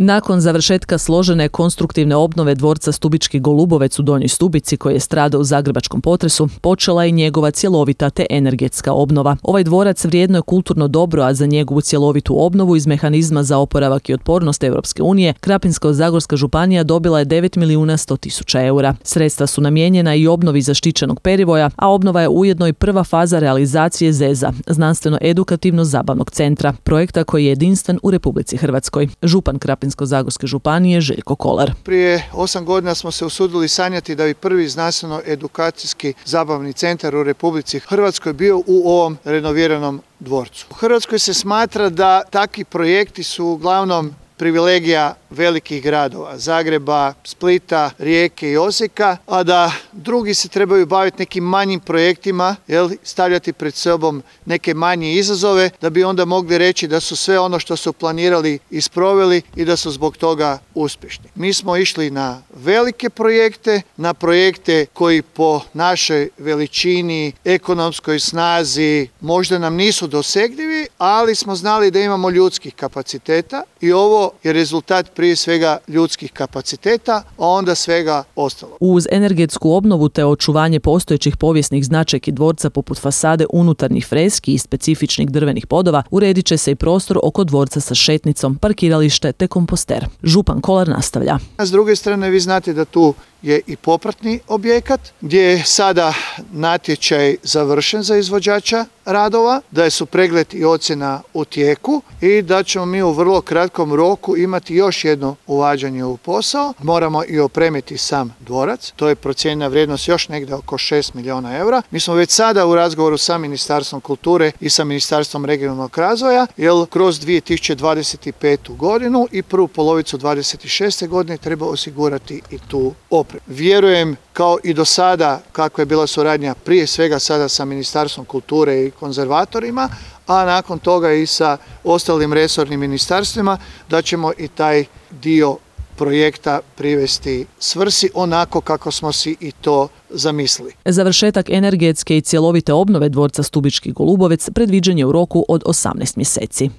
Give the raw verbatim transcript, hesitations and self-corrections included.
Nakon završetka složene konstruktivne obnove dvorca Stubički Golubovec u Donjoj Stubici, koji je stradao u zagrebačkom potresu, počela je njegova cjelovita te energetska obnova. Ovaj dvorac vrijedno je kulturno dobro, a za njegovu cjelovitu obnovu iz mehanizma za oporavak i otpornost Europske unije Krapinsko-zagorska županija dobila je devet milijuna sto tisuća eura. Sredstva su namijenjena i obnovi zaštićenog perivoja, a obnova je ujedno i prva faza realizacije zeza, znanstveno-edukativno-zabavnog centra, projekta koji je jedinstven u Republici Hrvatskoj. Župan Krapinsko-zagorske županije Željko Kolar. Prije osam godina smo se usudili sanjati da bi prvi znanstveno-edukacijski zabavni centar u Republici Hrvatskoj bio u ovom renoviranom dvorcu. U Hrvatskoj se smatra da takvi projekti su uglavnom privilegija velikih gradova, Zagreba, Splita, Rijeke i Osijeka, a da drugi se trebaju baviti nekim manjim projektima, jel, stavljati pred sobom neke manje izazove, da bi onda mogli reći da su sve ono što su planirali isproveli i da su zbog toga uspješni. Mi smo išli na velike projekte, na projekte koji po našoj veličini, ekonomskoj snazi možda nam nisu dosegljivi, ali smo znali da imamo ljudskih kapaciteta i ovo je rezultat prije svega ljudskih kapaciteta, a onda svega ostalo. Uz energetsku obnovu te očuvanje postojećih povijesnih značajki dvorca poput fasade unutarnjih freski i specifičnih drvenih podova, uredit će se i prostor oko dvorca sa šetnicom, parkiralište te komposter. Župan Kolar nastavlja. S druge strane, vi znate da tu je i popratni objekat gdje je sada natječaj završen za izvođača radova, da su pregled i ocjena u tijeku i da ćemo mi u vrlo kratkom roku imati još jedno uvađanje u posao. Moramo i opremiti sam dvorac, to je procijenjena vrijednost još negdje oko šest milijuna eura. Mi smo već sada u razgovoru sa Ministarstvom kulture i sa Ministarstvom regionalnog razvoja, jer kroz dvije tisuće dvadeset petu godinu i prvu polovicu dvadeset šeste godine treba osigurati i tu opremu. Vjerujem, kao i do sada, kako je bila suradnja prije svega sada sa Ministarstvom kulture i konzervatorima, a nakon toga i sa ostalim resornim ministarstvima, da ćemo i taj dio projekta privesti svrsi onako kako smo si i to zamislili. Završetak energetske i cjelovite obnove dvorca Stubički Golubovec predviđen je u roku od osamnaest mjeseci.